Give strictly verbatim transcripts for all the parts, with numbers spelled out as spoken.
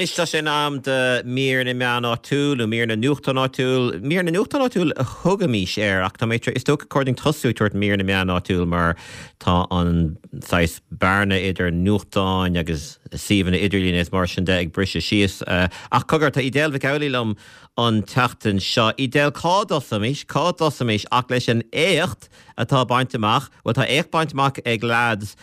Anois tá sé in am do mír na meán áitiúil nó mír na nuachtán áitiúil, mír na nuachtán áitiúil a thugaimis air ach tá mé is dócha gur chóir tosú tabhairt mír na meán áitiúil mar tá an saghas bearna idir nuachtáin agus suíomhanna idirlín is mar sin de ag briseadh síos. Uh, ach cogar tá Edel Mhic Amhlaigh liom an tseachtain seo. Edel cá dtosóimis, cá dtosóimis ach leis an éacht atá bainte amach, well tá éacht bainte amach ag lads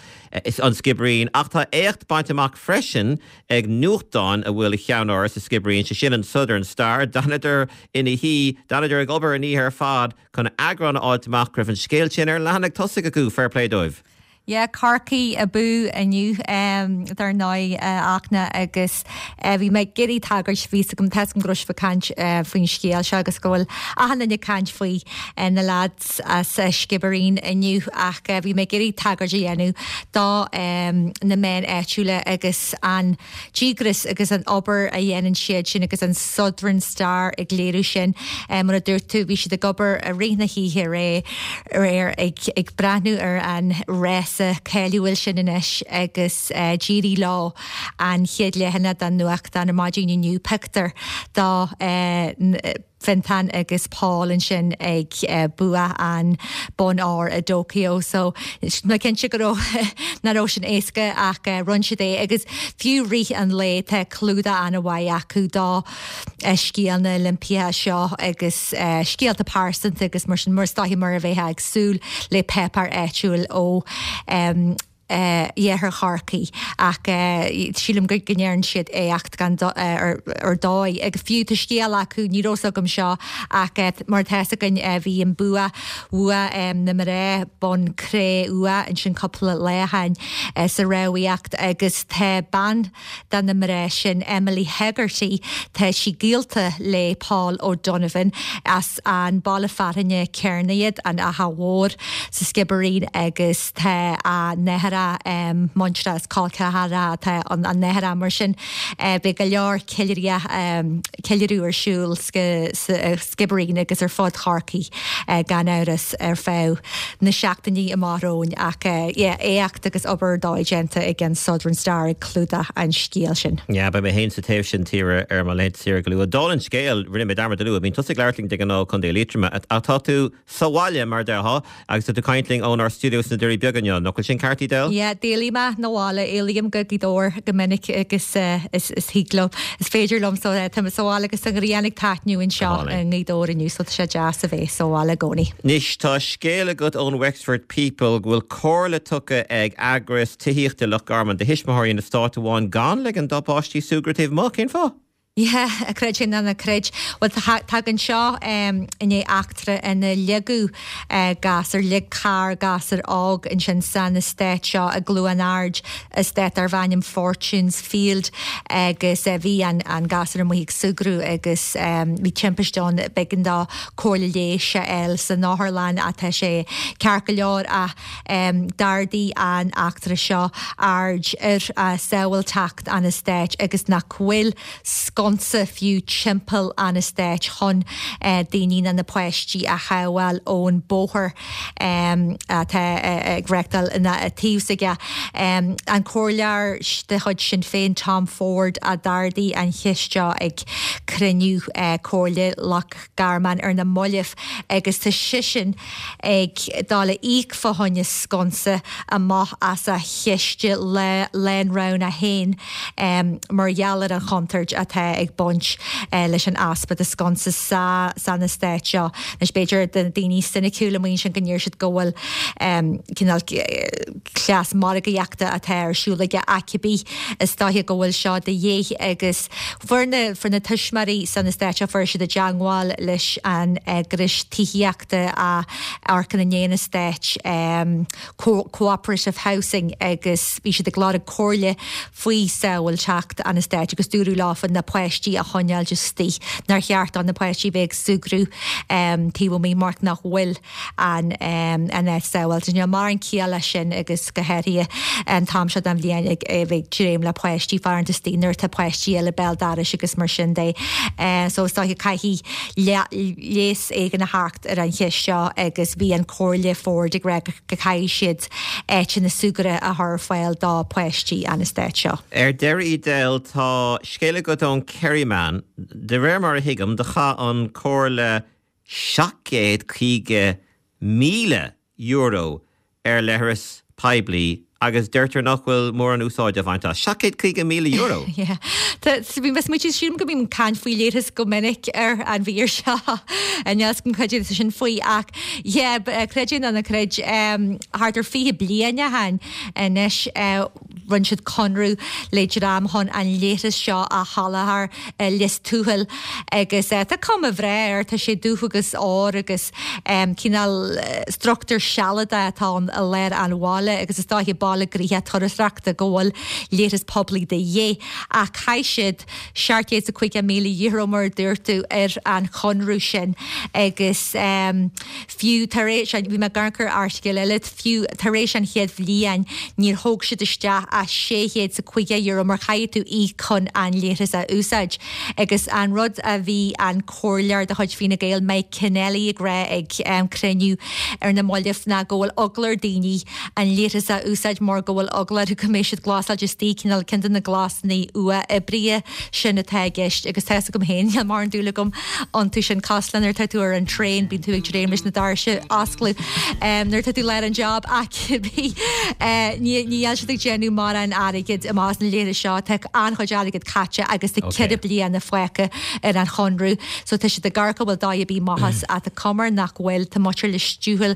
is an Sciobairín, ach tá éacht bainte amach freisin ag nuachtán a bhfuil a cheannáras sa Sciobairín sé sin an Southern Star, D'fhanadar ina shuí, d'fhanadar ag obair an oíche ar fad chun eagrán a fháil amach go raibh an scéal sin ar leathanach tosaigh acu fair play dóibh. Yeah, Corcaigh abú inniu um, dar ndóigh uh, achna agus uh, bhí mé ag iarraidh tagairt bhí gom te go raibh caint uh, faoin scéal seo agus go bhfuil achan duine ag caint faoi uh, na lads as uh, Sciobairín inniu ach uh, bhí mé ag iarraidh tagairt a dhéanamh do um, na meáin áitiúla agus an díograis agus an obair a dhéanann siad sin agus an Southern Star ag léiriú sin um, mar a dúirt tú bhí siad ag obair i rith na hoíche aréir ag, ag breathnú ar an rása cáiliúil sin anois agus uh, d'éirigh leo an chéad leathanach den nuachtán ar maidin inniu pictiúr do uh, Fintan agus Paul ansin ag uh, bua an bonn óir i dTokyo so na cinnte go nach raibh sin éasca ach uh, rinne siad é agus fiú rith an lae tá clúdach an-mhaith acu do uh, scéal na Olympia seo agus uh, scéalta pearsanta agus mar sin mar stáhí mar a bheith ag súil le páipéar áitiúil ó um, uh, iarthar Chorcaí ach uh, sílim go ndearna siad éacht gan uh, ar, ar dóigh ag fiú tá scéal acu ní raibh agam seo ach uh, mar tá againn uh, bhí an bua bua um, na mná bonn cré-umha ansin cúpla lá ó shin uh, sa rámhaíocht agus tá bean de na mná sin Emily Hegarty tá sí gaolta le Paul O'Donovan as an baile fearainn céanna iad an Fhaiche Mhór sa Sciobairín agus tá a nathair um, muintir is col ceathracha tá an, an nathair mar sin uh, beidh go leor ceiliúradh um, ceiliúradh ar siúl Sciobairín agus ar fud Chorcaí uh, gan amhras ar feadh na seachtainí amach romhainn ach uh, yeah, éacht agus obair dóigh déanta ag an Southern Star ag clúdach an scéal sin. Ja, beidh mé féin sa taobh sin tíre ar mo laethanta saoire go luath. Dála an scéil rinne mé dearmad a lua, bíonn tusa ag labhairt linn de ghnáth Contae Liatroma ach tá tú sa bhaile mar déarfá agus tú ag caint linn ónár stiúideo sna Doirí Beaga inniu, nach bhfuil sin ceart Edel? Ja, d'éalaigh mé 'na bhaile éalaím go Gaoth Dobhair go minic agus uh, is, is higlom. Is féidir liom so uh, tá sa bhaile agus an ghrian ag taitneamh anseo i nGaoth Dobhair inniu so tá sé deas a bheith sa bhaile i gcónaí. Anois tá scéal agat ón Wexford People go bhfuil comhairle tugtha ag eagras tithíochta Loch Garman do thuismitheoirí in eastát amháin gan ligean dá bpáistí súgradh taobh amuigh cén fáth? Yeah, a creid sin ná creid. Well tagann seo um, i ndiaidh eachtra ina ligeadh uh, gasúr lig carr gasúr óg ansin san eastát seo i gCluain Ard eastát darb ainm Fortunes Field agus uh, bhí an, an gasúr amuigh ag súgradh agus um, bhí timpiste ann b'éigean dó cóireáil leighis a fháil san otharlann atá sé ceart go leor a um, d'ardaigh an eachtra seo aird ar uh, sábháilteacht an eastáit agus nach bhfuil sconsa fiú timpeall an eastáit chun uh, daoine na na páistí a shábháil ón bóthar um, atá uh, ag reáchtáil ina taobh aige. Um, an comhairleoir de chuid Sinn Féin Tom Ford a d'ardaigh an cheist seo ag cruinniú uh, Comhairle Loch Garman ar na mallaibh agus tá seisean ag dul a íoc fá choinne sconsa amach as a chiste le lánrogha féin um, mar gheall ar an chontúirt atá ag baint uh, leis an easpa de sconsa sa san eastát seo. Anois b'fhéidir de daoine soiniciúla maíonn sin go ndéarfaidh siad go bhfuil um, cineál cleas margaíochta atá ar siúl aige cibé is dóiche go bhfuil seo de dhíth agus fuair na fuair na tuismitheoirí san eastát seo fuair siad i dteagmháil leis an eagras tithíochta a amharcann i ndiaidh an eastáit um, co cooperative housing agus bhí siad ag lorg comhairle faoi sábháilteacht an eastáit agus dúradh leofa na páistí páistí a choinneáil istigh, nár cheart do na páistí bheith ag súgradh taobh amuigh mar nach bhfuil an an áit sábháilte. Níl mórán ciall leis sin agus go háirithe an t-am seo den bhliain ag bheith ag dréim le páistí fanacht istigh nuair atá páistí eile béal dorais agus mar sin de. So is dóiche caithfidh leigheas éigin a theacht ar an cheist seo agus bhí an Comhairle Ford ag rá go gcaithfidh siad áiteanna súgartha a chur ar fáil do pháistí an eastát seo. Ar deireadh Edel tá scéal agat ón Kerryman, de réir mar a thuigim do chaith an Comhairle seacht gcéad caoga míle euro ar leithreas poiblí agus deirtear nach bhfuil mórán úsáid á bhaint as. seacht gcéad caoga míle euro! Yeah. Tá, bhí mé smaointe, sílim go mbím ag caint faoi leithreas go minic ar an mhír seo. Níl 'fhios agam cad é sin faoi ach yeah, creid é nó ná creid, thart ar fiche bliain ó shin anois rinne siad conradh le dream chun an leithreas seo a sholáthar i Lios Tuathail agus tá cuma bhreá air, tá sé dubh agus ór agus cineál struchtúr sealadach atá ann i lár an bhaile agus is dóiche baile gnoitheach turasóireachta go bhfuil leithreas poiblí de dhíth ach chaith siad seacht gcéad is caoga míle euro mar a dúirt tú ar an chonradh sin agus fiú tar éis, bhí mé ag amharc ar airteagal eile, fiú tar éis an chéad bhliain níor thóg siad isteach ach sé chéad is caoga euro mar chaithfidh tú íoc chun an leithreas a úsáid agus an rud a bhí an comhairleoir de chuid Fine Gael Mike Kennelly ag rá ag cruinniú ar na mallaibh ná go bhfuil eagla ar daoine an leithreas a úsáid mar go bhfuil eagla orthu go mbeidh siad glasáilte istigh, cineál ceann de na gléasanna uathoibrithe sin atá i gceist agus tá 'fhios agam féin, níl mórán dúil agam iontu sin cosúil le nuair atá tú ar an traein bíonn tú ag dréim leis na doirse a oscladh nuair atá tú lár an job ach cibé ní níl siad ag déanamh mórán airgid amach as na leithris seo, tá an-chuid airgid caite agus tá ceithre bliana fágtha ar an chonradh so tá siad ag amharc an bhfuil dóigh ar bith amach as ach tá cuma air nach bhfuil, tá muintir Lios Tuathail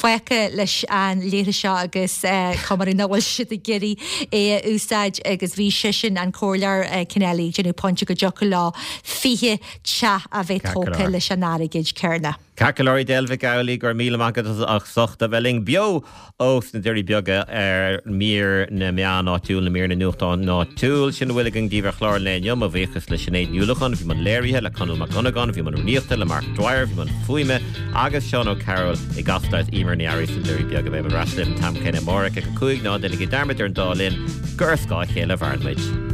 fágtha leis an leithreas seo agus cuma air nach bhfuil siad ag iarraidh é a úsáid agus bhí seisean, an Comhairleoir Kennelly, ag déanamh pointe go dtiocfadh leo fiche teach a bheith tógtha leis an airgead céanna. Ceart go leor Edel Mhic Amhlaigh, go raibh míle maith agat as ucht a bheith linn beo ós na Doirí Beaga ar mír na meán áitiúil, nó mír na nuachtán áitiúil. Sin a bhfuil againn daoibh ar chlár an lae inniu. Mo bhuíochas le Sinéad Ní Uallacháin a bhí i mbun léirithe, le Conall Mac Dhonnagáin a bhí i mbun rúnaíochta, le Mark Dwyer a bhí i mbun fuaime agus Seán O'Carroll i gCasla is Emer Ní Fhearraigh sna Doirí Beaga. Beidh mé ar ais libh an t-am céanna amárach ag a cúig. Ná déanaigí dearmad ar an dá linn gur ar scáth a chéile a mhaireann muid.